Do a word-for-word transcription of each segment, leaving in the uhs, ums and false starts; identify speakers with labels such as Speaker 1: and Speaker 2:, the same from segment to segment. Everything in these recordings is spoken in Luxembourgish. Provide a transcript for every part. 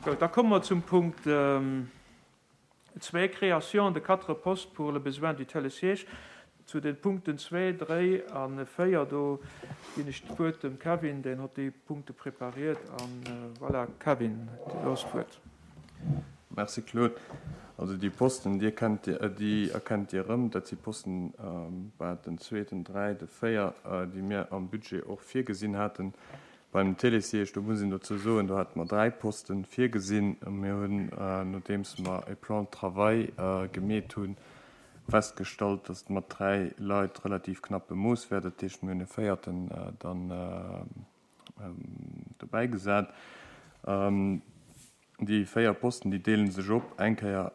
Speaker 1: Gutt, da komme mer zum Punkt zwee, Création de quatre postes pour le besoin du Télésiège. Zu den Punkten zwee, dréi a véier, do ginn ech d'Wuert dem Kevin, deen huet déi Punkte prepariert. An voilà, Kevin, du hues d'Wuert.
Speaker 2: Merci Claude. Also déi Posten, déi erkennt Dir, déi erkennt Dir erëm. Dat si Posten, bah, den zwee, den dräi, de véier, déi mir am Budget och virgesinn haten. Beim Télésiège, do muss een dozou soen, do hate mer dräi Posten virgesinn. Mir hunn, nodeems mer e Plan de travail gemeet hunn, festgestallt, datt et mat dräi Leit relativ knapp bemooss wär. Dat heescht, mir hunn e véierten dann dobäi gesat. Déi véier Posten, déi deele sech op. Eng Kéier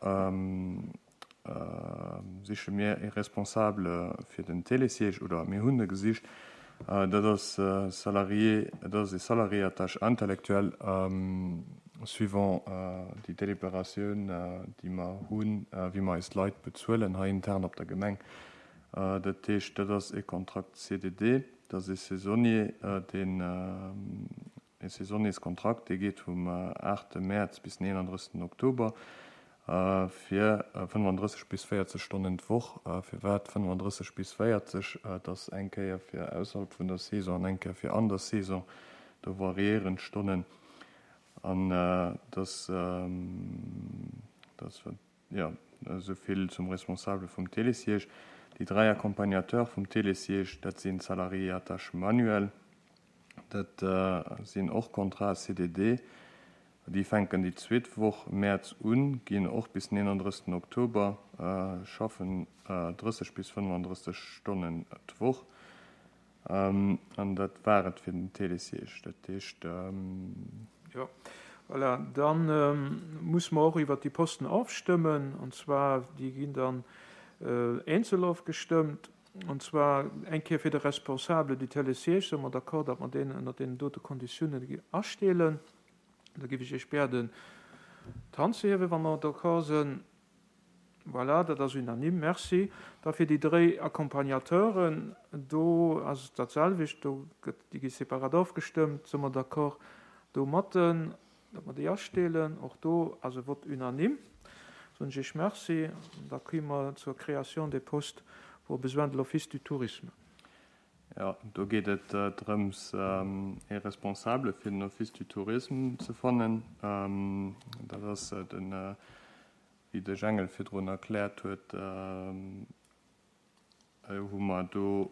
Speaker 2: siche mir e Responsable fir den Télésiège, oder mir hunn e gesicht. Dat ass salarié, dat ass e Salarié à tâche intellectuelle, suivant déi Deliberatioun, déi mer hunn, wéi mer eis Leit bezuelen hei intern op der Gemeng. Dat heescht, dat ass e Kontrakt C D D, dat ass e Saisonnier, deen e Saisonnierskontrakt, dee geet vum aachte Mäerz bis den eenandrëssegsten Oktober fir fënnefandrësseg bis véierzeg Stonnen d'Woch. Firwat fënnefandrësseg bis véierzeg? Et ass eng Kéier fir ausserhalb vun der Saison an eng Kéier fir an der Saison. Do variéieren d'Stonnen an dass dass jo esou vill zum Responsable vum Télésiège. Déi dräi Accompagnateurs vum Télésiège, dat sinn Salariés à tâche manuelle. Dat sinn och Contrats C D D. Déi fänken déi zweet Woch Mäerz un, ginn och bis den eenandrëssegsten Oktober, schaffen drësseg bis fënnefandrësseg Stonnen d'Woch. An dat war et fir den Télésiège. Dat heescht.
Speaker 1: Jo, voilà. Da muss mer och iwwert déi Posten ofstëmmen. An zwar, déi ginn dann eenzel ofgestëmmt. An zwar eng Kéier fir de Responsable du Télésiège. Si mer d'accord, datt mer deen ënner deenen dote Konditiounen astellen? Da géif ech Iech bieden, d'Hand ze hiewen, wa mer d'accord sinn. Voilà, dat ass unanime. Merci. Da fir déi dräi Accompagnateuren, do ass et dat selwecht. Do gëtt, déi gi separat ofgestëmmt. Si mer d'accord domatten, datt mer déi astellen? Och do ass e Vote unanime. Soen ech Iech Merci. Da komme mer zur Création des postes pour besoin de l'Office du tourisme.
Speaker 2: Jo, do geet et drëms, ee Responsable fir den Office du tourisme ze fannen. Dat ass den, wéi de Jengel virdrun erkläert huet, hu mer do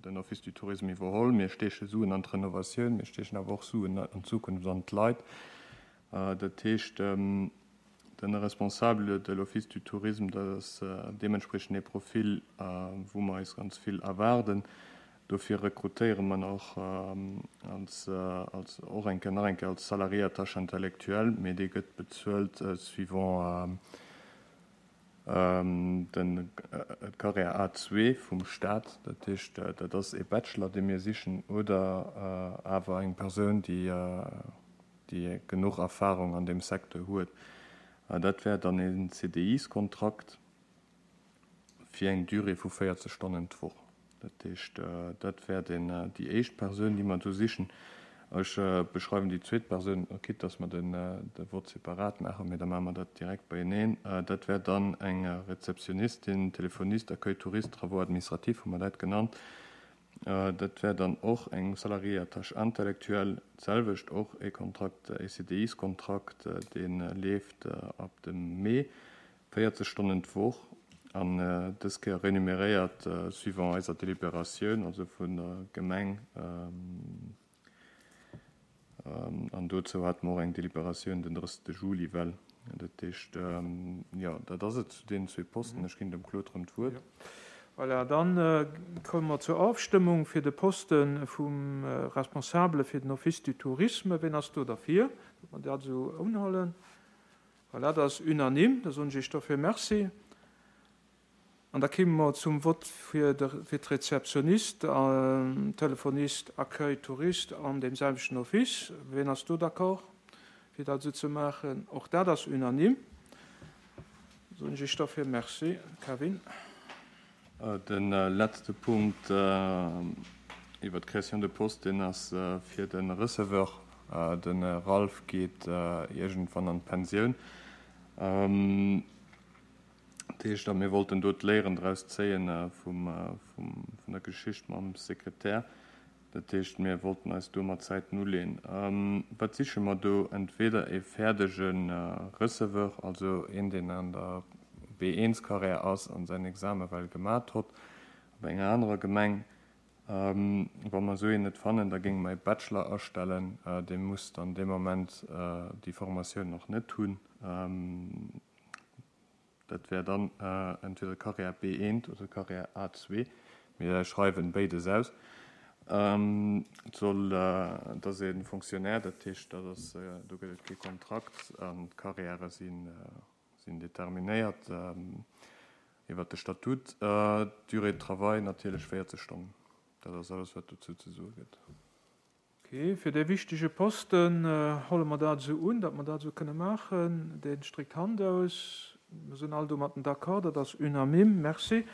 Speaker 2: den Office du tourisme iwwerholl. Mir steeche Suen an d'Renovatioun, mir steechen awer och Suen an Zukunft an d'Leit. Dat heescht, den Responsable de l'Office du tourisme, dat ass deementspriechend ee Profil, wou mer eis ganz vill erwaarden. Dofir rekrutéiere mer och als, als och eng Kéier, nach eng Kéier als Salarié à tâche intellectuelle, mee dee gëtt bezuelt suivant den Carrière A zwee vum Staat. Dat heescht, dat ass ee Bachelor, dee mir sichen, oder awer eng Persoun, déi déi genuch Erfahrung an deem Secteur huet. Dat wär dann een C D Iskontrakt fir eng Durée vu véierzeg Stonnen d'Woch. Dat heescht, dat wär den, déi éischt Persoun, déi mer do sichen. Ech beschreiwen déi zweet Persoun, quitte dass mer den de Vote separat maachen, mee da maache mer dat direkt beieneen. Dat wär dann eng Rezeptionistin, Téléphoniste, Accueil touriste, Travaux administratifs hu mer dat genannt. Dat wär dann och eng Salariée à tâche intellectuelle, d'selwecht och e Kontrakt, e C D Iskontrakt, dee leeft ab dem Mee, véierzeg Stonnen d'Woch an dës Kéier remuneréiert suivant eiser Deliberatioun, also vun der Gemeng. An dozou hate mer och eng Deliberatioun den drëssegste Juli. Well dat heescht, jo, dat ass et zu deenen zwee Posten. Ech ginn dem Claude erëm d'Wuert.
Speaker 1: Voilà, dann komme mer zur Ofstëmmung fir de Poste vum Responsable fir den Office du tourisme. Wien ass do derfir, datt mer dat esou unhuelen? Voilà, dat ass unanime. Da soen ech Iech dofir Merci. An da komme mer zum Vott fir de, fir d'Rezeptionist, Telefonist, Accueil touriste an deem selwechten Office. Wien ass do d'accord, fir dat esou ze maachen? Och dat ass unanime. Soen ech Iech dofir Merci. Kevin.
Speaker 2: De letzte Punkt iwwer d'Création de poste, deen ass fir de Receveur De Ralph geet iergendwann an d'Pensioun. Dat heescht, a mir wollten do d'Léieren draus zéien vum, vun der Geschicht mam Sekretär. Dat heescht, mir wollten eis do mat Zäiten uleeën. Wat siche mer do? Entweder e fäerdege Receveur, also een, deen an der B eins Carrière ass an säin Exame well gemat hott op enger anerer Gemeng. Wa mer esou een net fannen, da géinge mer e Bachelor astellen. Dee muss dann dee Moment déi Formatioun nach net hunn. Dat wär dann entweder Carrière B eent oder Carrière A zwee. Mir schreiwen béides aus. Et soll, et ass e Fonctionnaire, dat heescht, dat ass, do gëtt et kee Kontrakt an d'Carrièrë sinn, sinn determinéiert iwwert de Statut. D'Durée de travail natierlech véierzeg Stonnen. Dat ass alles, wat dozou ze soe gëtt.
Speaker 1: Ok, fir dee wichtege Posten huele mer dat esou un, datt mer dat esou kënne maachen. Deen streckt d'Hand aus. Mir sinn all domatten d'accord, dat ass unanime. Merci.